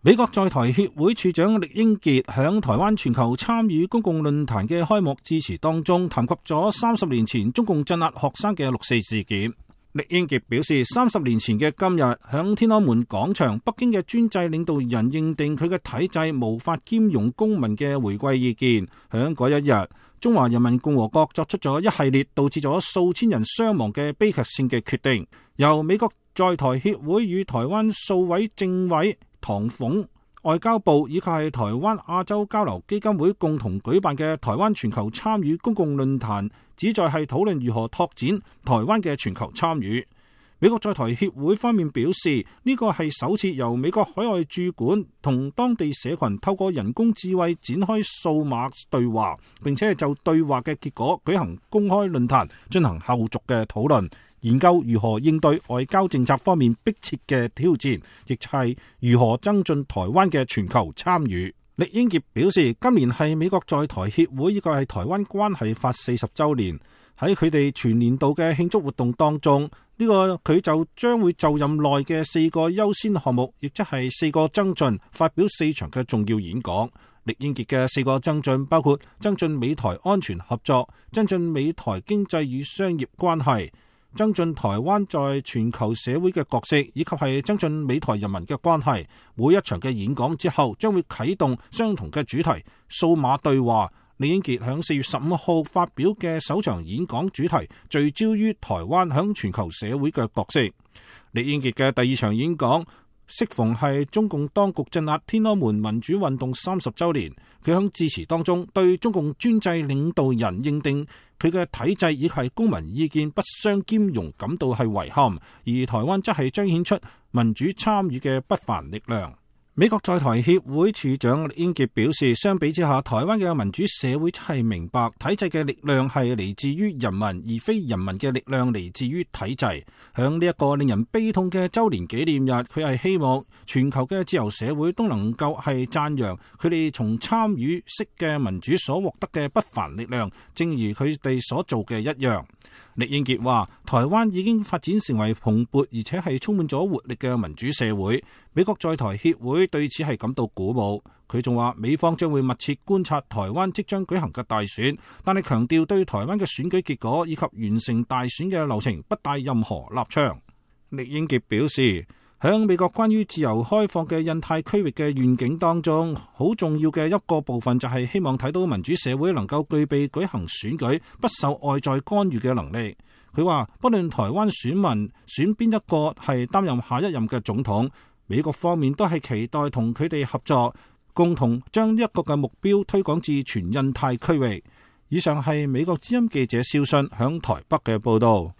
美國在台協會處長酈英傑響台灣全球參與公共論壇嘅開幕致辭當中，談及咗30年前中共鎮壓學生嘅6.4事件。酈英傑表示，30年前嘅今日，響天安門廣場，北京嘅專制領導人認定佢嘅體制無法兼容公民嘅回歸意見。響嗰一日，中華人民共和國作出咗一系列導致咗數千人傷亡嘅悲劇性嘅決定，由美國在台協會與台灣數位政委唐鳳、外交部以及係台灣亞洲交流基金會共同舉辦嘅台灣全球參與公共論壇，旨在係討論如何拓展台灣嘅全球參與。美國在台協會方面表示，呢個係首次由美國海外駐館同當地社群透過人工智慧展開數碼對話，並且係就對話嘅結果舉行公開論壇，進行後續嘅討論，研究如何應對外交政策方面迫切嘅挑戰，亦係如何增進台灣嘅全球參與。酈英傑表示，今年係美國在台協會以及係台灣關係法40週年，喺佢哋全年度嘅慶祝活動當中，呢個佢就將會就任內嘅4個優先項目，亦即係4個增進，發表4場嘅重要演講。酈英傑嘅4個增進包括增進美台安全合作、增進美台經濟與商業關係、增進台灣在全球社會嘅角色，以及係增進美台人民嘅關係。每一場嘅演講之後，將會啟動相同嘅主題數碼對話。酈英傑響4月15號發表嘅首場演講主題聚焦於台灣響全球社會嘅角色。酈英傑嘅第2場演講適逢係中共當局鎮壓天安門民主運動30週年，佢響致辭當中對中共專制領導人認定佢嘅體制以及公民意見不相兼容感到係遺憾，而台灣則係彰顯出民主參與嘅不凡力量。美國在台協會處長酈英傑表示，相比之下，台灣嘅民主社會係明白體制嘅力量係嚟自於人民，而非人民嘅力量嚟自於體制。響呢一個令人悲痛嘅週年紀念日，佢係希望全球嘅自由社會都能夠係讚揚佢哋從參與式嘅民主所獲得嘅不凡力量，正如佢哋所做嘅一樣。酈英傑話，台灣已經發展成為蓬勃而且係充滿咗活力嘅民主社會。美國在台協會對此係感到鼓舞。佢仲話，美方將會密切觀察台灣即將舉行嘅大選，但係強調對台灣嘅選舉結果以及完成大選嘅流程不帶任何立場。酈英傑表示，響美國關於自由開放嘅印太區域嘅願景當中，好重要嘅一個部分就係希望睇到民主社會能夠具備舉行選舉不受外在干預嘅能力。佢話，不論台灣選民選邊一個係擔任下一任嘅總統，美國方面都係期待同佢哋合作，共同將一個嘅目標推廣至全印太區域。以上係美國之音記者肖信響台北嘅報道。